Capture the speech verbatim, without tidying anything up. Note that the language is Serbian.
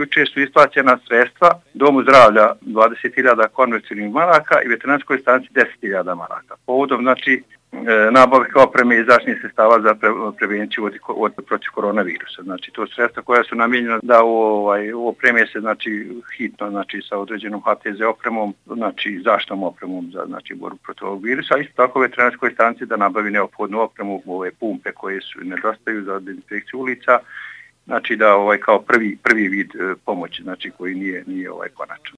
jučer su isplaćena sredstva Domu zdravlja dvadeset hiljada konvercijalnih maraka i veterinarskoj stanici deset hiljada maraka. Povodom, znači, nabavke opreme i zaštitnih sredstava za pre, prevenciju od, od, protiv koronavirusa. Znači, to sredstva koja su namijenjena da ovaj, opreme se, znači, hitno, znači, sa određenom H T Z opremom, znači, zaštitnom opremom za, znači, borbu protiv ovog virusa, a isto tako veterinarskoj stanici da nabavi neophodnu opremu, ove pumpe koje su nedostaju za dezinfekciju ulica, znači, da ovaj, kao prvi, prvi vid pomoći, znači, koji nije, nije ovaj konačan.